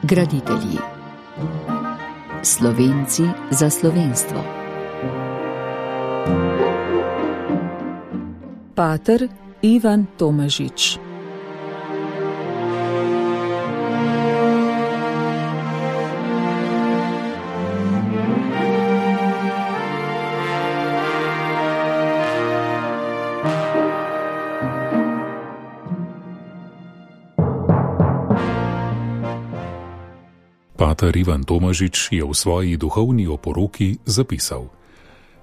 Graditelji. Slovenci za slovenstvo. Pater Ivan Tomažič. Pater Ivan Tomažič je v svoji duhovni oporoki zapisal: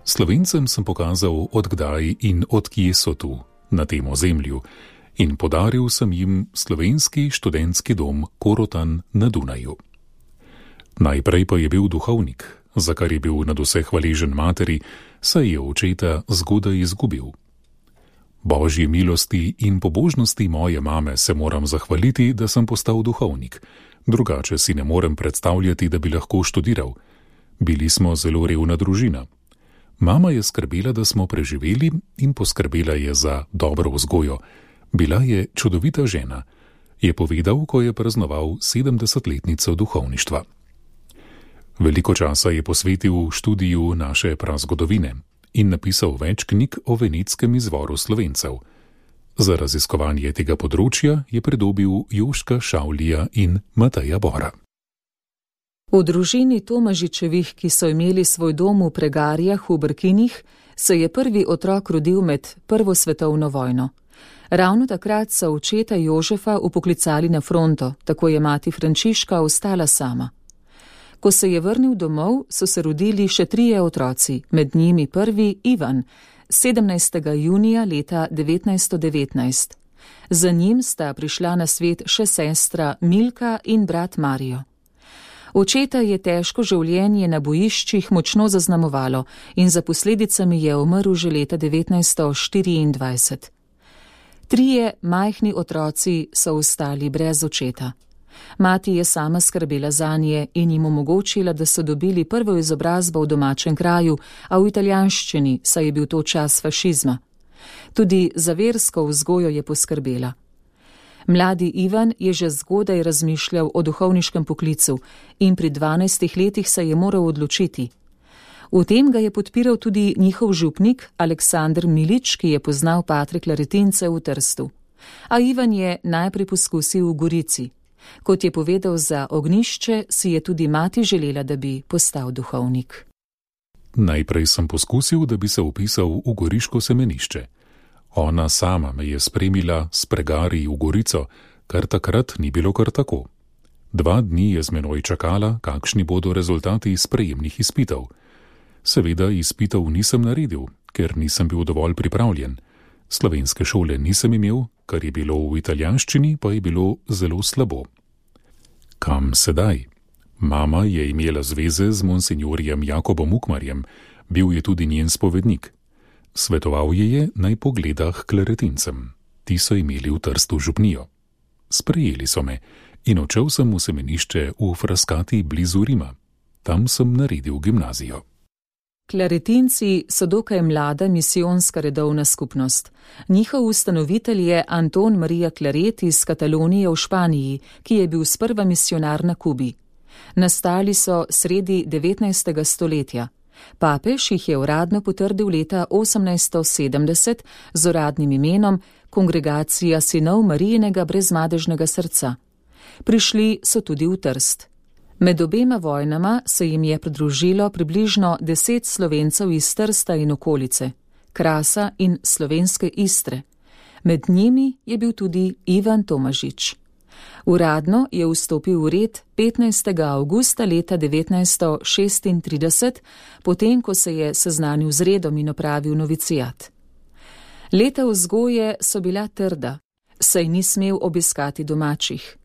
Slovencem sem pokazal, odkdaj in odkje so tu, na tem ozemlju, in podaril sem jim slovenski študentski dom Korotan na Dunaju. Najprej pa je bil duhovnik, za kar je bil nadvse hvaležen materi, saj je očeta zgodaj izgubil. Božji milosti in pobožnosti moje mame se moram zahvaliti, da sem postal duhovnik. Drugače si ne morem predstavljati, da bi lahko študiral. Bili smo zelo revna družina. Mama je skrbela, da smo preživeli, in poskrbela je za dobro vzgojo. Bila je čudovita žena, je povedal, ko je praznoval 70-letnico duhovništva. Veliko časa je posvetil študiju naše prazgodovine in napisal več knjig o venetskem izvoru Slovencev. Za raziskovanje tega področja je pridobil Joška Šavlija in Mateja Bora. V družini Tomažičevih, ki so imeli svoj dom v Pregarjah v Brkinih, se je prvi otrok rodil med Prvo svetovno vojno. Ravno takrat so očeta Jožefa upoklicali na fronto, tako je mati Frančiška ostala sama. Ko se je vrnil domov, so se rodili še 3 otroci, med njimi prvi Ivan, 17. junija leta 1919. Za njim sta prišla na svet še sestra Milka in brat Marijo. Očeta je težko življenje na bojiščih močno zaznamovalo in za posledicami je umrl že leta 1924. 3 majhni otroci so ostali brez očeta. Mati je sama skrbela zanje in jim omogočila, da so dobili prvo izobrazbo v domačem kraju, a v italijanščini, saj je bil to čas fašizma. Tudi za versko vzgojo je poskrbela. Mladi Ivan je že zgodaj razmišljal o duhovniškem poklicu in pri 12 letih se je moral odločiti. V tem ga je podpiral tudi njihov župnik Aleksandr Milič, ki je poznal patre Klaretince v Trstu. A Ivan je najprej poskusil v Gorici. Kot je povedal za Ognjišče, si je tudi mati želela, da bi postal duhovnik. Najprej sem poskusil, da bi se vpisal v goriško semenišče. Ona sama me je spremila s Pregarji v Gorico, kar takrat ni bilo kar tako. 2 dni je z menoj čakala, kakšni bodo rezultati sprejemnih izpitov. Seveda izpitov nisem naredil, ker nisem bil dovolj pripravljen. Slovenske šole nisem imel, kar je bilo v italijanščini, pa je bilo zelo slabo. Kam sedaj? Mama je imela zveze z monsinjorjem Jakobom Ukmarjem, bil je tudi njen spovednik. Svetoval je, naj pogleda k Klaretincem. Ti so imeli v Trstu župnijo. Sprejeli so me in odšel sem v semenišče v Frascati blizu Rima. Tam sem naredil gimnazijo. Klaretinci so dokaj mlada misijonska redovna skupnost. Njihov ustanovitelj je Anton Marija Claret iz Katalonije v Španiji, ki je bil sprva misionar na Kubi. Nastali so sredi 19. stoletja. Papež jih je uradno potrdil leta 1870 z uradnim imenom Kongregacija sinov Marijinega brezmadežnega srca. Prišli so tudi v Trst. Med obema vojnama se jim je pridružilo približno 10 Slovencev iz Trsta in okolice, Krasa in slovenske Istre. Med njimi je bil tudi Ivan Tomažič. Uradno je vstopil v red 15. avgusta leta 1936, potem ko se je seznanil z redom in opravil novicijat. Leta vzgoje so bila trda, saj ni smel obiskati domačih.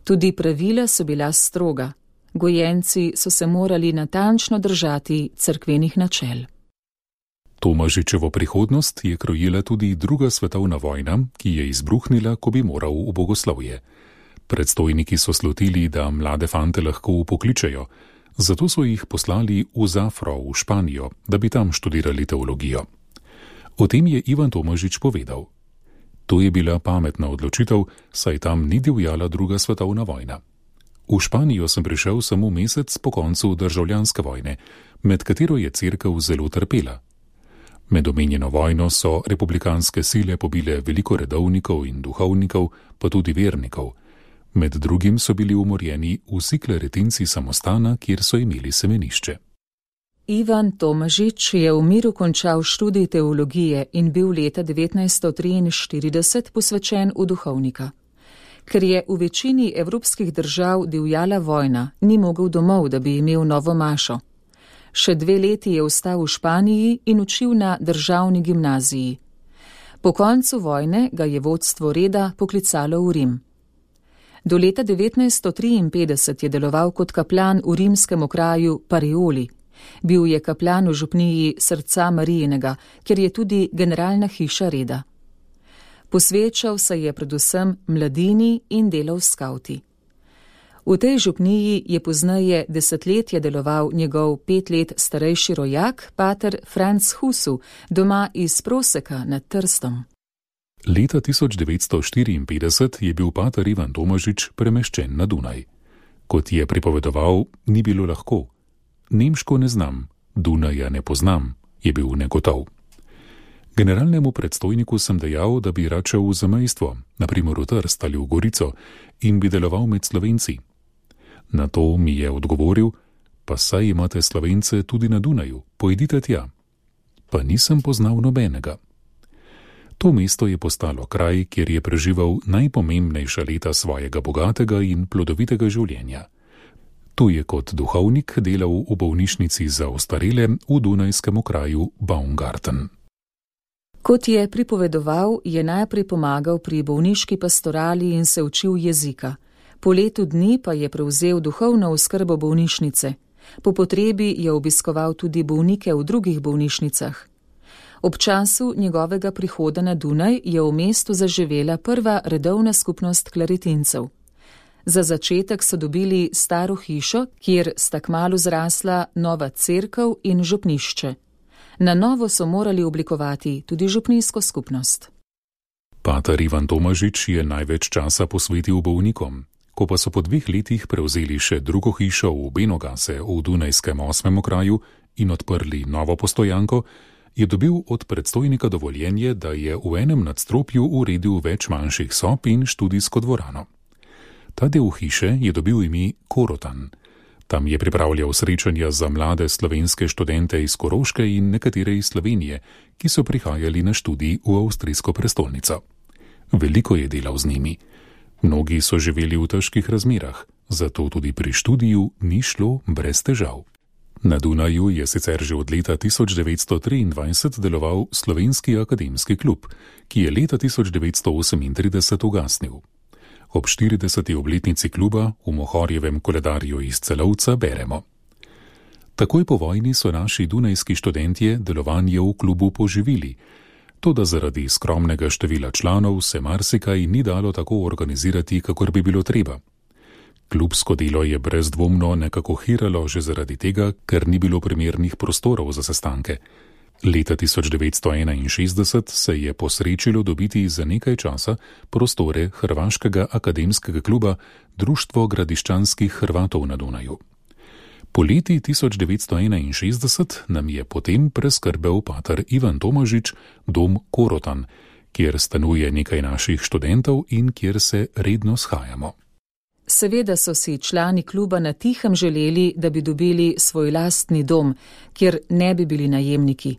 Tudi pravila so bila stroga. Gojenci so se morali natančno držati cerkvenih načel. Tomažičevo prihodnost je krojila tudi 2. svetovna vojna, ki je izbruhnila, ko bi moral v bogoslovje. Predstojniki so slutili, da mlade fante lahko upokličejo, zato so jih poslali v Zafro v Španijo, da bi tam študirali teologijo. O tem je Ivan Tomažič povedal: To je bila pametna odločitev, saj tam ni divjala 2. svetovna vojna. V Španijo sem prišel samo mesec po koncu državljanske vojne, med katero je cerkev zelo trpela. Med omenjeno vojno so republikanske sile pobile veliko redovnikov in duhovnikov, pa tudi vernikov. Med drugim so bili umorjeni vsi kleretinci samostana, kjer so imeli semenišče. Ivan Tomažič je v miru končal študij teologije in bil leta 1943 posvečen v duhovnika. Ker je v večini evropskih držav divjala vojna, ni mogel domov, da bi imel novo mašo. Še 2 leti je ostal v Španiji in učil na državni gimnaziji. Po koncu vojne ga je vodstvo reda poklicalo v Rim. Do leta 1953 je deloval kot kaplan v rimskem okraju Parioli. Bil je kaplan v župniji Srca Marijinega, kjer je tudi generalna hiša reda. Posvečal se je predvsem mladini in delal s skavti. V tej župniji je pozneje desetletje deloval njegov 5 let starejši rojak, pater Franc Husu, doma iz Proseka nad Trstom. Leta 1954 je bil pater Ivan Tomažič premeščen na Dunaj. Kot je pripovedoval, ni bilo lahko. Nemško ne znam, Dunaja ne poznam, je bil negotov. Generalnemu predstojniku sem dejal, da bi rad šel v zamejstvo, naprimer v Trst ali v Gorico, in bi deloval med Slovenci. Na to mi je odgovoril, pa saj imate Slovence tudi na Dunaju, pojdite tja. Pa nisem poznal nobenega. To mesto je postalo kraj, kjer je preživel najpomembnejša leta svojega bogatega in plodovitega življenja. Tu je kot duhovnik delal v bolnišnici za ostarele v dunajskem okraju Baumgarten. Kot je pripovedoval, je najprej pomagal pri bolniški pastorali in se učil jezika. Po letu dni pa je prevzel duhovno oskrbo bolnišnice. Po potrebi je obiskoval tudi bolnike v drugih bolnišnicah. Ob času njegovega prihoda na Dunaj je v mestu zaživela prva redovna skupnost klaritincev. Za začetek so dobili staro hišo, kjer sta kmalu zrasla nova cerkev in župnišče. Na novo so morali oblikovati tudi župnijsko skupnost. Pater Ivan Tomažič je največ časa posvetil bolnikom. Ko pa so po 2 letih prevzeli še drugo hišo v Benogase v dunajskem 8. okraju in odprli novo postojanko, je dobil od predstojnika dovoljenje, da je v enem nadstropju uredil več manjših sob in študijsko dvorano. Ta del hiše je dobil ime Korotan. Tam je pripravljal srečanja za mlade slovenske študente iz Koroške in nekatere iz Slovenije, ki so prihajali na študij v avstrijsko prestolnico. Veliko je delal z njimi. Mnogi so živeli v težkih razmerah, zato tudi pri študiju ni šlo brez težav. Na Dunaju je sicer že od leta 1923 deloval Slovenski akademski klub, ki je leta 1938 ugasnil. Ob 40. obletnici kluba v Mohorjevem koledarju iz Celovca beremo: Takoj po vojni so naši dunajski študentje delovanje v klubu poživili, toda zaradi skromnega števila članov se marsikaj ni dalo tako organizirati, kakor bi bilo treba. Klubsko delo je brezdvomno nekako hiralo že zaradi tega, ker ni bilo primernih prostorov za sestanke. Leta 1961 se je posrečilo dobiti za nekaj časa prostore Hrvaškega akademskega kluba Društvo gradiščanskih Hrvatov na Dunaju. Po leti 1961 nam je potem preskrbel pater Ivan Tomažič dom Korotan, kjer stanuje nekaj naših študentov in kjer se redno shajamo. Seveda so si člani kluba na tihem želeli, da bi dobili svoj lastni dom, kjer ne bi bili najemniki.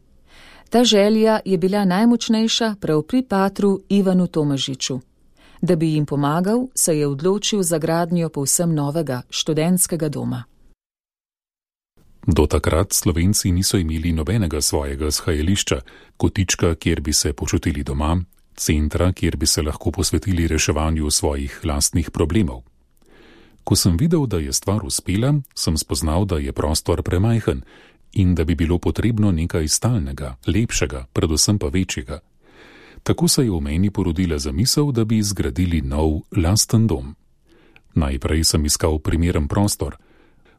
Ta želja je bila najmočnejša prav pri patru Ivanu Tomažiču. Da bi jim pomagal, se je odločil za gradnjo povsem novega študentskega doma. Do takrat Slovenci niso imeli nobenega svojega shajališča, kotička, kjer bi se počutili doma, centra, kjer bi se lahko posvetili reševanju svojih lastnih problemov. Ko sem videl, da je stvar uspela, sem spoznal, da je prostor premajhen in da bi bilo potrebno nekaj stalnega, lepšega, predvsem pa večjega. Tako se je v meni porodila zamisel, da bi zgradili nov, lasten dom. Najprej sem iskal primeren prostor.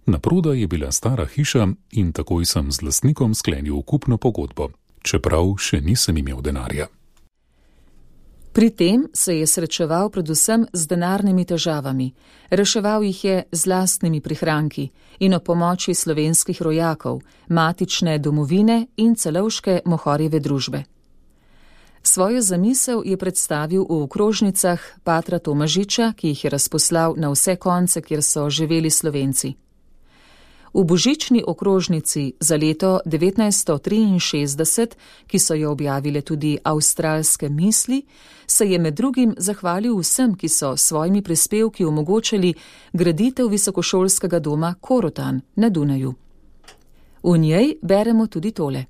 Naprodaj je bila stara hiša in takoj sem z lastnikom sklenil kupno pogodbo, čeprav še nisem imel denarja. Pri tem se je srečeval predvsem z denarnimi težavami, reševal jih je z lastnimi prihranki in o pomoči slovenskih rojakov, matične domovine in celovške Mohorjeve družbe. Svojo zamisel je predstavil v okrožnicah patra Tomažiča, ki jih je razposlal na vse konce, kjer so živeli Slovenci. V božični okrožnici za leto 1963, ki so jo objavile tudi Avstralske misli, se je med drugim zahvalil vsem, ki so svojimi prispevki omogočali graditev visokošolskega doma Korotan na Dunaju. V njej beremo tudi tole.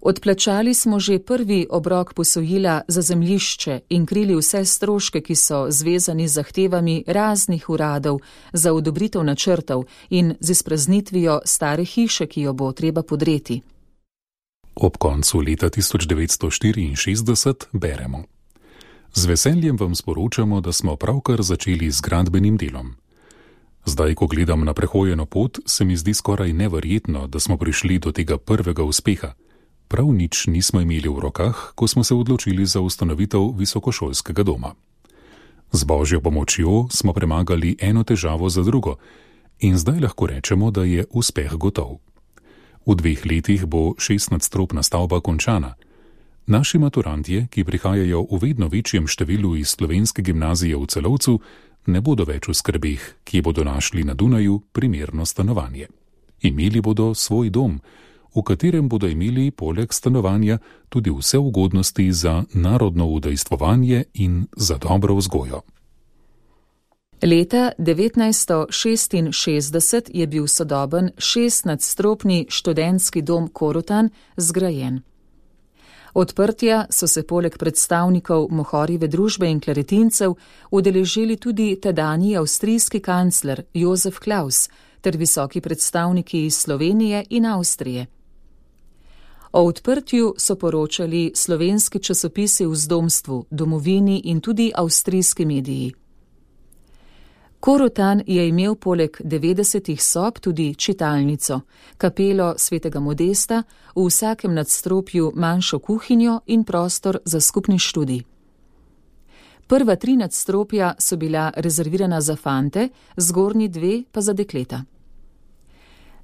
Odplačali smo že prvi obrok posojila za zemljišče in krili vse stroške, ki so zvezani z zahtevami raznih uradov za odobritev načrtov in z izpraznitvijo stare hiše, ki jo bo treba podreti. Ob koncu leta 1964 beremo. Z veseljem vam sporočamo, da smo pravkar začeli z gradbenim delom. Zdaj, ko gledam na prehojeno pot, se mi zdi skoraj neverjetno, da smo prišli do tega prvega uspeha. Prav nič nismo imeli v rokah, ko smo se odločili za ustanovitev visokošolskega doma. Z Božjo pomočjo smo premagali eno težavo za drugo in zdaj lahko rečemo, da je uspeh gotov. V 2 letih bo 6-nadstropna stavba končana. Naši maturantje, ki prihajajo v vedno večjem številu iz slovenske gimnazije v Celovcu, ne bodo več v skrbeh, kje bodo našli na Dunaju primerno stanovanje. Imeli bodo svoj dom, v katerem bodo imeli poleg stanovanja tudi vse ugodnosti za narodno udejstvovanje in za dobro vzgojo. Leta 1966 je bil sodoben 6-nadstropni študentski dom Korotan zgrajen. Odprtja so se poleg predstavnikov Mohorjeve družbe in klaretincev udeležili tudi tedanji avstrijski kancler Jozef Klaus ter visoki predstavniki iz Slovenije in Avstrije. O odprtju so poročali slovenski časopisi v Zdomstvu, Domovini in tudi avstrijski mediji. Korotan je imel poleg 90 sob tudi čitalnico, kapelo svetega Modesta, v vsakem nadstropju manjšo kuhinjo in prostor za skupni študij. Prva 3 nadstropja so bila rezervirana za fante, zgornji 2 pa za dekleta.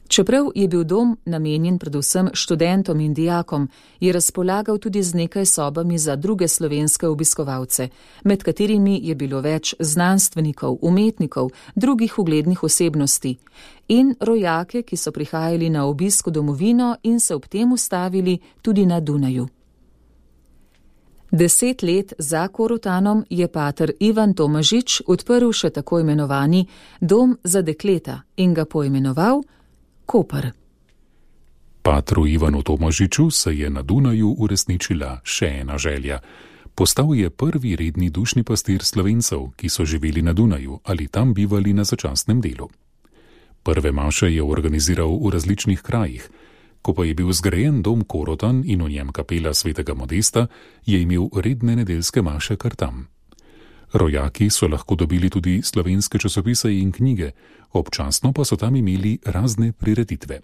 Čeprav je bil dom namenjen predvsem študentom in dijakom, je razpolagal tudi z nekaj sobami za druge slovenske obiskovalce, med katerimi je bilo več znanstvenikov, umetnikov, drugih uglednih osebnosti in rojake, ki so prihajali na obisk v domovino in se ob tem ustavili tudi na Dunaju. 10 let za Korotanom je pater Ivan Tomažič odprl še tako imenovani dom za dekleta in ga poimenoval Koper. Patru Ivanu Tomažiču se je na Dunaju uresničila še ena želja. Postal je prvi redni dušni pastir Slovencev, ki so živeli na Dunaju ali tam bivali na začasnem delu. Prve maše je organiziral v različnih krajih. Ko pa je bil zgrajen dom Korotan in v njem kapela svetega Modesta, je imel redne nedeljske maše kar tam. Rojaki so lahko dobili tudi slovenske časopise in knjige, občasno pa so tam imeli razne prireditve.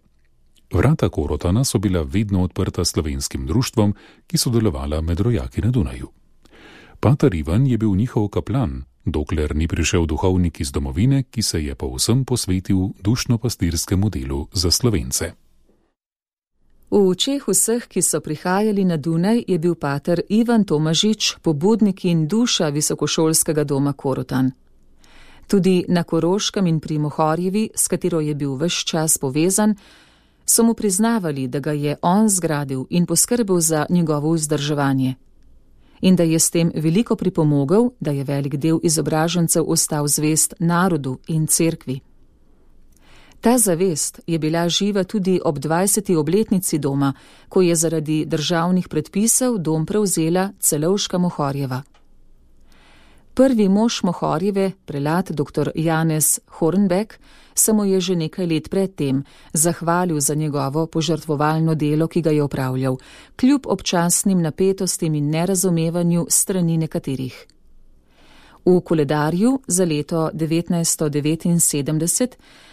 Vrata Korotana so bila vedno odprta slovenskim društvom, ki so delovala med rojaki na Dunaju. Pater Ivan je bil njihov kaplan, dokler ni prišel duhovnik iz domovine, ki se je povsem posvetil dušno-pastirskemu delu za Slovence. V očeh vseh, ki so prihajali na Dunaj, je bil pater Ivan Tomažič pobudnik in duša visokošolskega doma Korotan. Tudi na Koroškem in pri Mohorjevi, s katero je bil ves čas povezan, so mu priznavali, da ga je on zgradil in poskrbel za njegovo vzdrževanje. In da je s tem veliko pripomogel, da je velik del izobražencev ostal zvest narodu in cerkvi. Ta zavest je bila živa tudi ob 20. obletnici doma, ko je zaradi državnih predpisov dom prevzela celovška Mohorjeva. Prvi mož Mohorjeve, prelat dr. Janez Hornbeck, se mu je že nekaj let predtem zahvalil za njegovo požrtvovalno delo, ki ga je opravljal, kljub občasnim napetostim in nerazumevanju strani nekaterih. V koledarju za leto 1979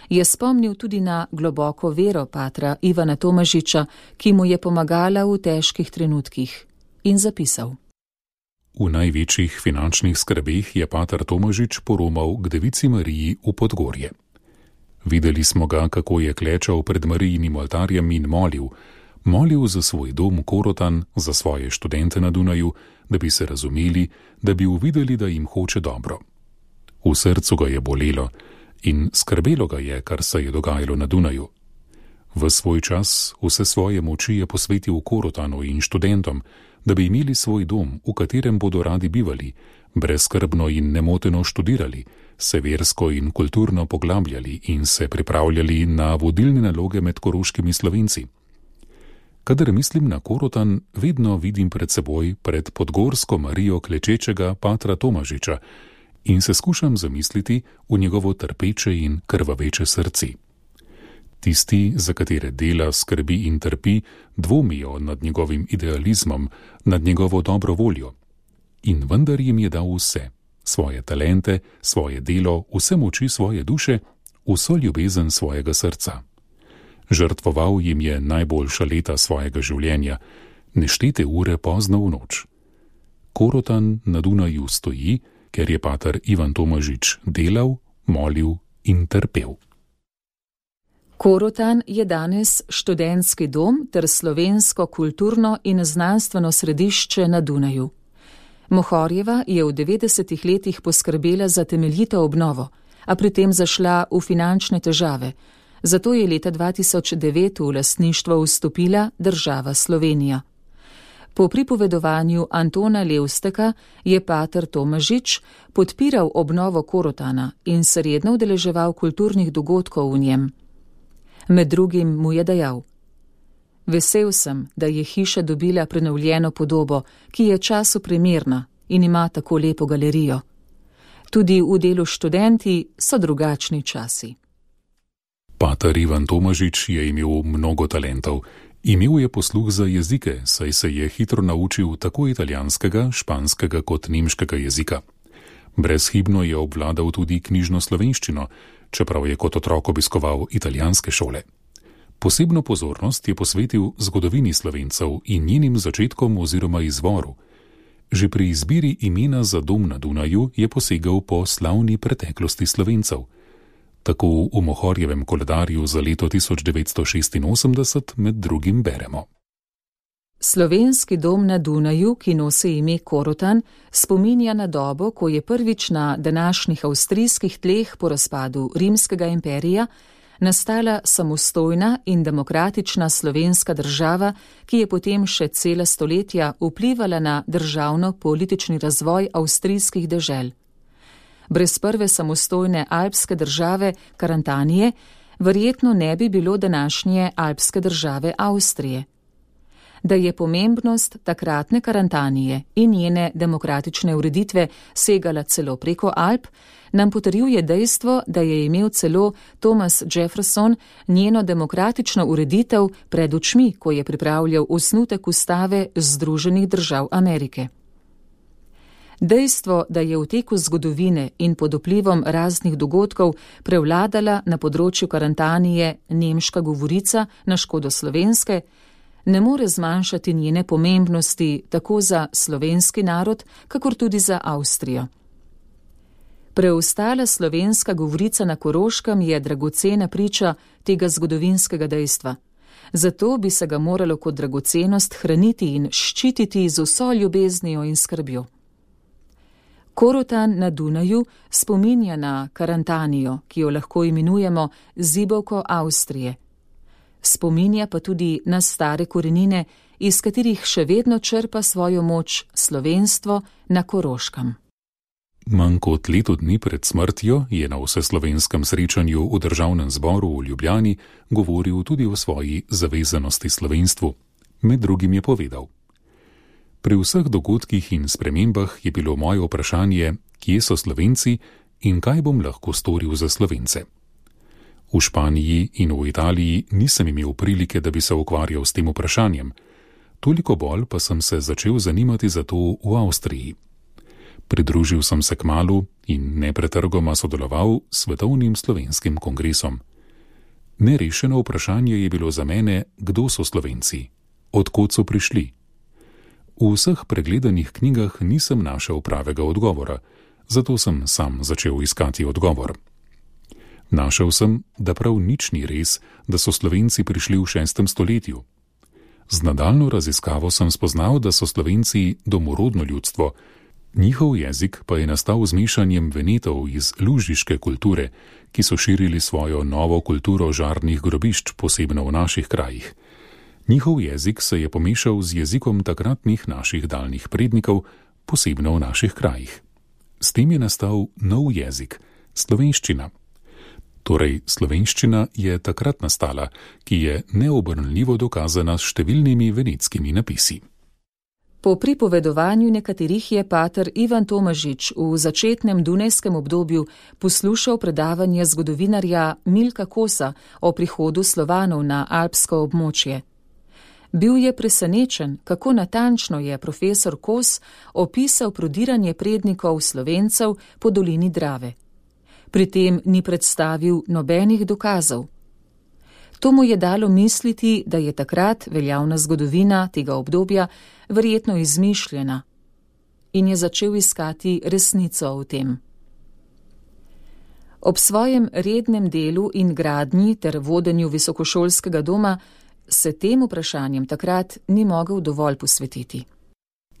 je spomnil tudi na globoko vero patra Ivana Tomažiča, ki mu je pomagala v težkih trenutkih, in zapisal. V največjih finančnih skrbeh je pater Tomažič poromal k Devici Mariji v Podgorje. Videli smo ga, kako je klečal pred Marijinim oltarjem in molil za svoj dom Korotan, za svoje študente na Dunaju, da bi se razumeli, da bi uvideli, da jim hoče dobro. V srcu ga je bolelo in skrbelo ga je, kar se je dogajalo na Dunaju. V svoj čas vse svoje moči je posvetil Korotanu in študentom, da bi imeli svoj dom, v katerem bodo radi bivali, brezskrbno in nemoteno študirali, se versko in kulturno poglabljali in se pripravljali na vodilne naloge med koroškimi Slovenci. Kadar mislim na Korotan, vedno vidim pred seboj, pred podgorsko Marijo klečečega patra Tomažiča in se skušam zamisliti v njegovo trpeče in krvaveče srci. Tisti, za katere dela, skrbi in trpi, dvomijo nad njegovim idealizmom, nad njegovo dobro voljo. In vendar jim je dal vse, svoje talente, svoje delo, vse moči svoje duše, vso ljubezen svojega srca. Žrtvoval jim je najboljša leta svojega življenja, neštete ure pozno v noč. Korotan na Dunaju stoji, ker je pater Ivan Tomažič delal, molil in trpel. Korotan je danes študentski dom ter slovensko kulturno in znanstveno središče na Dunaju. Mohorjeva je v 90. letih poskrbela za temeljito obnovo, a pri tem zašla v finančne težave, zato je leta 2009 v lastništvo vstopila država Slovenija. Po pripovedovanju Antona Levsteka je pater Tomažič podpiral obnovo Korotana in se redno udeleževal kulturnih dogodkov v njem. Med drugim mu je dejal: Vesel sem, da je hiša dobila prenovljeno podobo, ki je času primerna in ima tako lepo galerijo. Tudi v delu študenti so drugačni časi. Pater Ivan Tomažič je imel mnogo talentov. Imel je posluh za jezike, saj se je hitro naučil tako italijanskega, španskega kot nemškega jezika. Brezhibno je obvladal tudi knjižno slovenščino, čeprav je kot otrok obiskoval italijanske šole. Posebno pozornost je posvetil zgodovini Slovencev in njenim začetkom oziroma izvoru. Že pri izbiri imena za dom na Dunaju je posegal po slavni preteklosti Slovencev. Tako v Mohorjevem koledarju za leto 1986 med drugim beremo. Slovenski dom na Dunaju, ki nosi ime Korotan, spominja na dobo, ko je prvič na današnjih avstrijskih tleh po razpadu Rimskega imperija nastala samostojna in demokratična slovenska država, ki je potem še cela stoletja vplivala na državno-politični razvoj avstrijskih dežel. Brez prve samostojne alpske države Karantanije verjetno ne bi bilo današnje alpske države Avstrije. Da je pomembnost takratne Karantanije in njene demokratične ureditve segala celo preko Alp, nam potrjuje dejstvo, da je imel celo Thomas Jefferson njeno demokratično ureditev pred očmi, ko je pripravljal osnutek ustave Združenih držav Amerike. Dejstvo, da je v teku zgodovine in pod vplivom raznih dogodkov prevladala na področju Karantanije nemška govorica na škodo slovenske, ne more zmanjšati njene pomembnosti tako za slovenski narod, kakor tudi za Avstrijo. Preostala slovenska govorica na Koroškem je dragocena priča tega zgodovinskega dejstva. Zato bi se ga moralo kot dragocenost hraniti in ščititi z vso ljubeznijo in skrbjo. Korotan na Dunaju spominja na Karantanijo, ki jo lahko imenujemo zibelko Avstrije. Spominja pa tudi na stare korenine, iz katerih še vedno črpa svojo moč slovenstvo na Koroškem. Manj kot leto dni pred smrtjo je na vseslovenskem srečanju v Državnem zboru v Ljubljani govoril tudi o svoji zavezanosti slovenstvu. Med drugim je povedal: Pri vseh dogodkih in spremembah je bilo moje vprašanje, kje so Slovenci in kaj bom lahko storil za Slovence. V Španiji in v Italiji nisem imel prilike, da bi se ukvarjal s tem vprašanjem, toliko bolj pa sem se začel zanimati za to v Avstriji. Pridružil sem se kmalu in nepretrgoma sodeloval s Svetovnim slovenskim kongresom. Nerešeno vprašanje je bilo za mene, kdo so Slovenci, od kod so prišli. V vseh pregledanih knjigah nisem našel pravega odgovora, zato sem sam začel iskati odgovor. Našel sem, da prav nič ni res, da so Slovenci prišli v 6. stoletju. Z nadaljnjo raziskavo sem spoznal, da so Slovenci domorodno ljudstvo, njihov jezik pa je nastal z mešanjem Venetov iz lužiške kulture, ki so širili svojo novo kulturo žarnih grobišč, posebno v naših krajih. Njihov jezik se je pomešal z jezikom takratnih naših daljnih prednikov, posebno v naših krajih. S tem je nastal nov jezik, slovenščina. Torej, slovenščina je takrat nastala, ki je neobrnljivo dokazana s številnimi venetskimi napisi. Po pripovedovanju nekaterih je pater Ivan Tomažič v začetnem dunajskem obdobju poslušal predavanje zgodovinarja Milka Kosa o prihodu Slovanov na alpsko območje. Bil je presenečen, kako natančno je profesor Kos opisal prodiranje prednikov Slovencev po dolini Drave. Pri tem ni predstavil nobenih dokazov. To mu je dalo misliti, da je takrat veljavna zgodovina tega obdobja verjetno izmišljena, in je začel iskati resnico o tem. Ob svojem rednem delu in gradnji ter vodenju visokošolskega doma se tem vprašanjem takrat ni mogel dovolj posvetiti.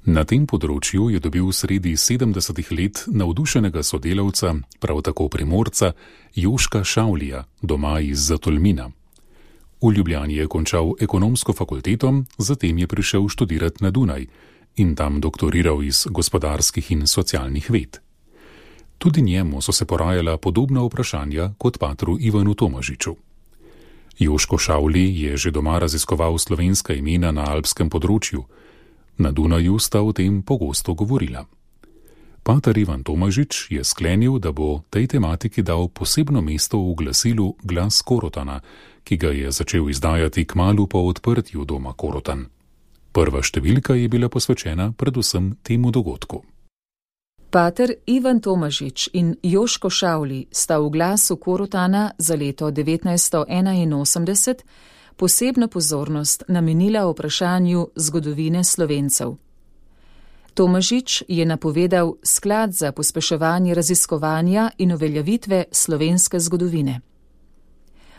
Na tem področju je dobil sredi 70. let navdušenega sodelavca, prav tako Primorca, Joška Šavlija, doma iz Zatolmina. V Ljubljani je končal ekonomsko fakulteto, zatem je prišel študirati na Dunaj in tam doktoriral iz gospodarskih in socialnih ved. Tudi njemu so se porajala podobna vprašanja kot patru Ivanu Tomažiču. Joško Šavli je že doma raziskoval slovenska imena na alpskem področju. Na Dunaju sta o tem pogosto govorila. Pater Ivan Tomažič je sklenil, da bo tej tematiki dal posebno mesto v glasilu Glas Korotana, ki ga je začel izdajati kmalu po odprtju doma Korotan. Prva številka je bila posvečena predvsem temu dogodku. Pater Ivan Tomažič in Joško Šavli sta v Glasu Korotana za leto 1981 posebno pozornost namenila vprašanju zgodovine Slovencev. Tomažič je napovedal sklad za pospeševanje raziskovanja in uveljavitve slovenske zgodovine.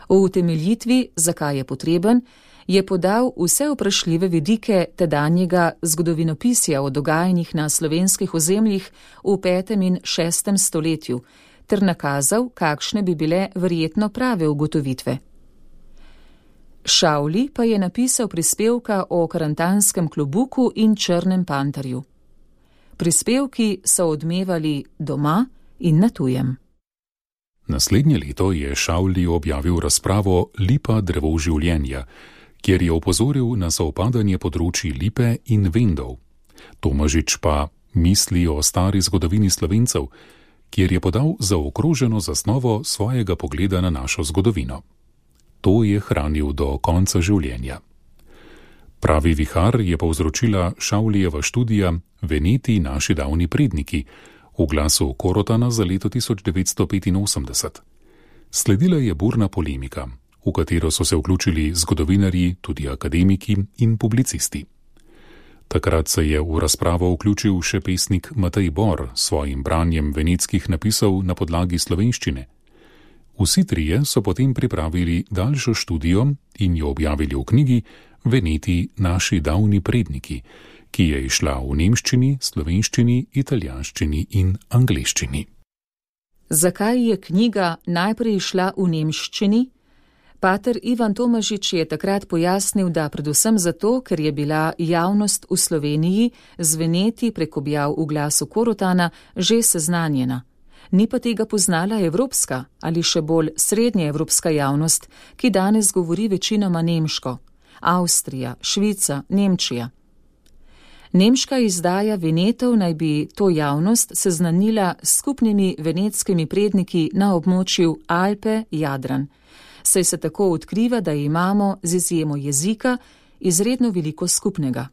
V utemeljitvi, zakaj je potreben, je podal vse vprašljive vidike tedanjega zgodovinopisja o dogajanjih na slovenskih ozemljih v 5. in 6. stoletju ter nakazal, kakšne bi bile verjetno prave ugotovitve. Šavli pa je napisal prispevka o karantanskem klobuku in črnem panterju. Prispevki so odmevali doma in na tujem. Naslednje leto je Šavli objavil razpravo Lipa drevo življenja, kjer je opozoril na sovpadanje področji lipe in vendov. Tomažič pa misli o stari zgodovini Slovencev, kjer je podal zaokroženo zasnovo svojega pogleda na našo zgodovino. To je hranil do konca življenja. Pravi vihar je povzročila Šavlijeva študija Veneti naši davni predniki v Glasu Korotana za leto 1985. Sledila je burna polemika, v katero so se vključili zgodovinarji, tudi akademiki in publicisti. Takrat se je v razpravo vključil še pesnik Matej Bor s svojim branjem venetskih napisov na podlagi slovenščine. Vsi trije so potem pripravili daljšo študijo in jo objavili v knjigi Veneti naši davni predniki, ki je izšla v nemščini, slovenščini, italijanščini in angleščini. Zakaj je knjiga najprej izšla v nemščini? Pater Ivan Tomažič je takrat pojasnil, da predvsem zato, ker je bila javnost v Sloveniji z Veneti prek objav v Glasu Korotana že seznanjena. Ni pa tega poznala evropska ali še bolj srednjeevropska javnost, ki danes govori večinoma nemško. Avstrija, Švica, Nemčija. Nemška izdaja Venetov naj bi to javnost seznanila s skupnimi venetskimi predniki na območju Alpe-Jadran. Saj se tako odkriva, da imamo z izjemo jezika izredno veliko skupnega.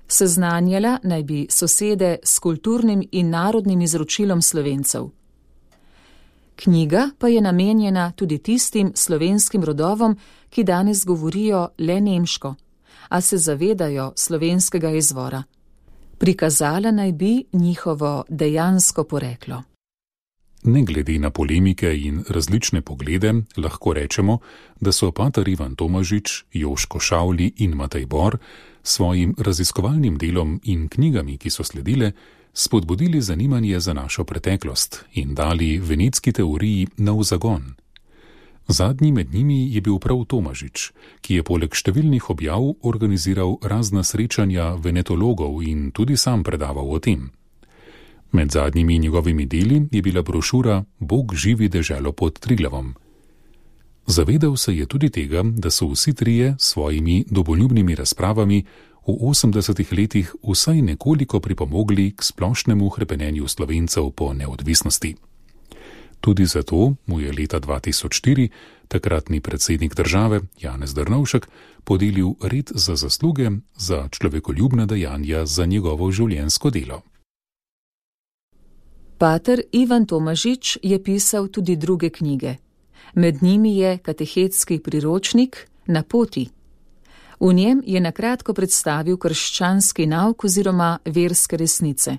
Seznanjala naj bi sosede s kulturnim in narodnim izročilom Slovencev. Knjiga pa je namenjena tudi tistim slovenskim rodovom, ki danes govorijo le nemško, a se zavedajo slovenskega izvora. Prikazala naj bi njihovo dejansko poreklo. Ne glede na polemike in različne poglede, lahko rečemo, da so pater Ivan Tomažič, Joško Šavli in Matej Bor svojim raziskovalnim delom in knjigami, ki so sledile, spodbudili zanimanje za našo preteklost in dali venetski teoriji nov zagon. Zadnji med njimi je bil prav Tomažič, ki je poleg številnih objav organiziral razna srečanja venetologov in tudi sam predaval o tem. Med zadnjimi njegovimi deli je bila brošura Bog živi deželo pod Triglavom. Zavedal se je tudi tega, da so vsi trije s svojimi domoljubnimi razpravami v 80 letih vsaj nekoliko pripomogli k splošnemu hrepenenju Slovencev po neodvisnosti. Tudi zato mu je leta 2004 takratni predsednik države Janez Drnovšek podelil red za zasluge za človekoljubna dejanja za njegovo življenjsko delo. Pater Ivan Tomažič je pisal tudi druge knjige. Med njimi je katehetski priročnik Na poti. V njem je nakratko predstavil krščanski nauk oziroma verske resnice.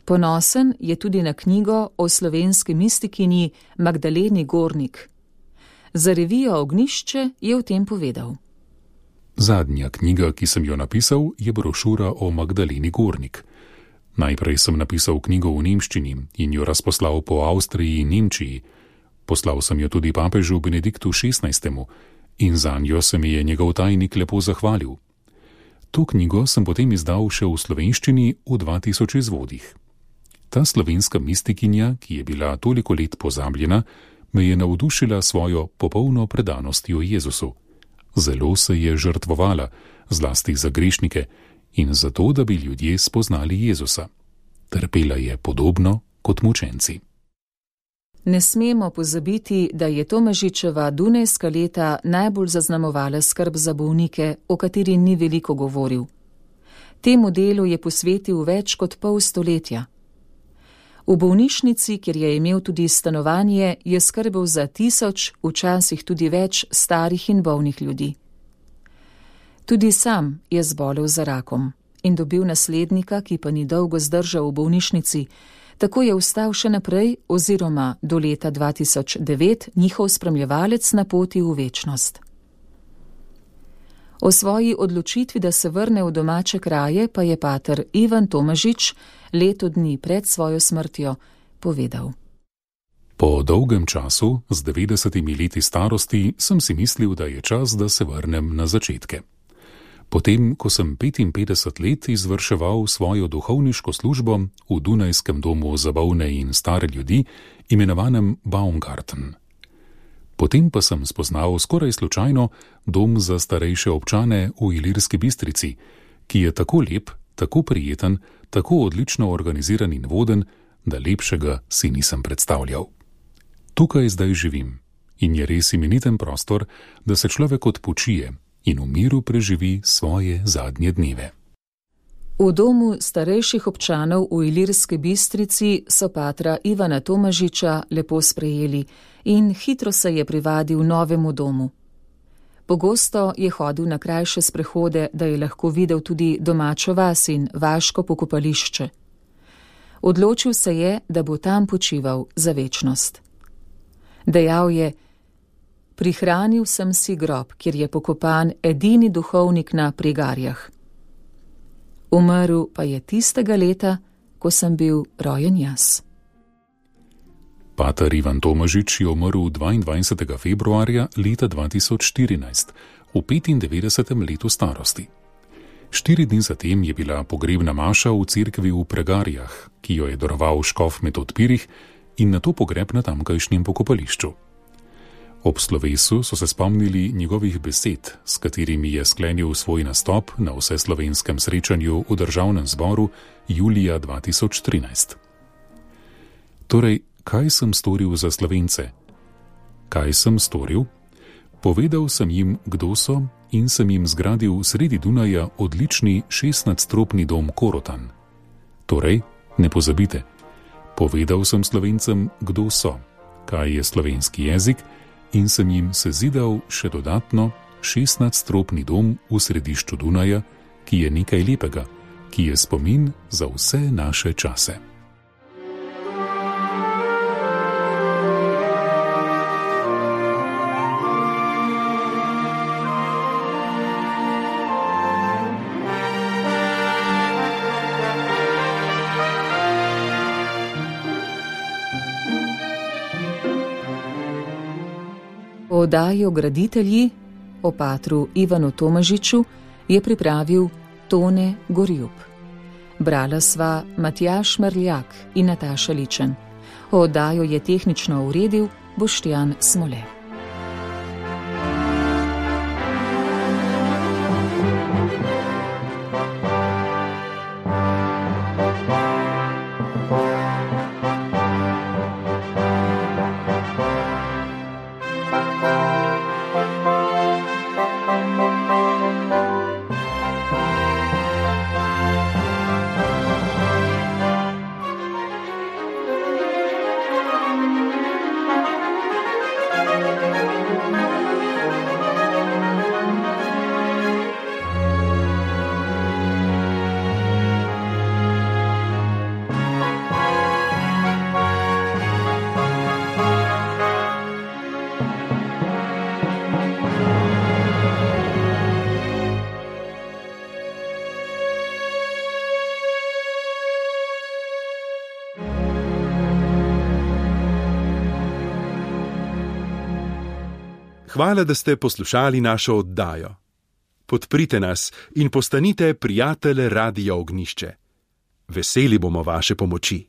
Ponosen je tudi na knjigo o slovenski mistikinji Magdaleni Gornik. Za revijo Ognjišče je o tem povedal. Zadnja knjiga, ki sem jo napisal, je brošura o Magdaleni Gornik. Najprej sem napisal knjigo v nemščini in jo razposlal po Avstriji in Nemčiji. Poslal sem jo tudi papežu Benediktu XVI. In zanjo se mi je njegov tajnik lepo zahvalil. To knjigo sem potem izdal še v slovenščini v 2000 izvodih. Ta slovenska mistikinja, ki je bila toliko let pozabljena, me je navdušila svojo popolno predanostjo Jezusu. Zelo se je žrtvovala, zlasti za grešnike, in zato, da bi ljudje spoznali Jezusa. Trpela je podobno kot mučenci. Ne smemo pozabiti, da je Tomažičeva dunajska leta najbolj zaznamovala skrb za bolnike, o kateri ni veliko govoril. Temu delu je posvetil več kot pol stoletja. V bolnišnici, kjer je imel tudi stanovanje, je skrbel za 1000, včasih tudi več starih in bolnih ljudi. Tudi sam je zbolel za rakom in dobil naslednika, ki pa ni dolgo zdržal v bolnišnici. Tako je ostal še naprej oziroma do leta 2009 njihov spremljevalec na poti v večnost. O svoji odločitvi, da se vrne v domače kraje, pa je pater Ivan Tomažič leto dni pred svojo smrtjo povedal. Po dolgem času, z 90 leti starosti, sem si mislil, da je čas, da se vrnem na začetke. Potem, ko sem 55 let izvrševal svojo duhovniško službo v Dunajskem domu za bolne in stare ljudi, imenovanem Baumgarten. Potem pa sem spoznal skoraj slučajno dom za starejše občane v Ilirski Bistrici, ki je tako lep, tako prijeten, tako odlično organiziran in voden, da lepšega si nisem predstavljal. Tukaj zdaj živim in je res imeniten prostor, da se človek odpočije in v miru preživi svoje zadnje dneve. V domu starejših občanov v Ilirski Bistrici so patra Ivana Tomažiča lepo sprejeli in hitro se je privadil novemu domu. Pogosto je hodil na krajše sprehode, da je lahko videl tudi domačo vas in vaško pokopališče. Odločil se je, da bo tam počival za večnost. Dejal je: prihranil sem si grob, kjer je pokopan edini duhovnik na Prigarjah. Umrl pa je tistega leta, ko sem bil rojen jaz. Pater Ivan Tomažič je umrl 22. februarja leta 2014, v 95. letu starosti. 4 dni zatem je bila pogrebna maša v cerkvi v Pregarjah, ki jo je daroval škof Metod Pirih, in nato pogreb na tamkajšnjem pokopališču. Ob slovesu so se spomnili njegovih besed, s katerimi je sklenil svoj nastop na vseslovenskem srečanju v Državnem zboru julija 2013. Torej, kaj sem storil za Slovence? Kaj sem storil? Povedal sem jim, kdo so, in sem jim zgradil sredi Dunaja odlični 6-nadstropni dom Korotan. Torej, ne pozabite, povedal sem Slovencem, kdo so, kaj je slovenski jezik, in sem jim sezidal še dodatno 16-stropni dom v središču Dunaja, ki je nekaj lepega, ki je spomin za vse naše čase. Oddajo Graditelji o patru Ivanu Tomažiču je pripravil Tone Gorjup. Brala sva Matjaž Merljak in Nataša Ličen. Oddajo je tehnično uredil Boštjan Smole. Hvala, da ste poslušali našo oddajo. Podprite nas in postanite prijatelj Radia Ognjišče. Veseli bomo vaše pomoči.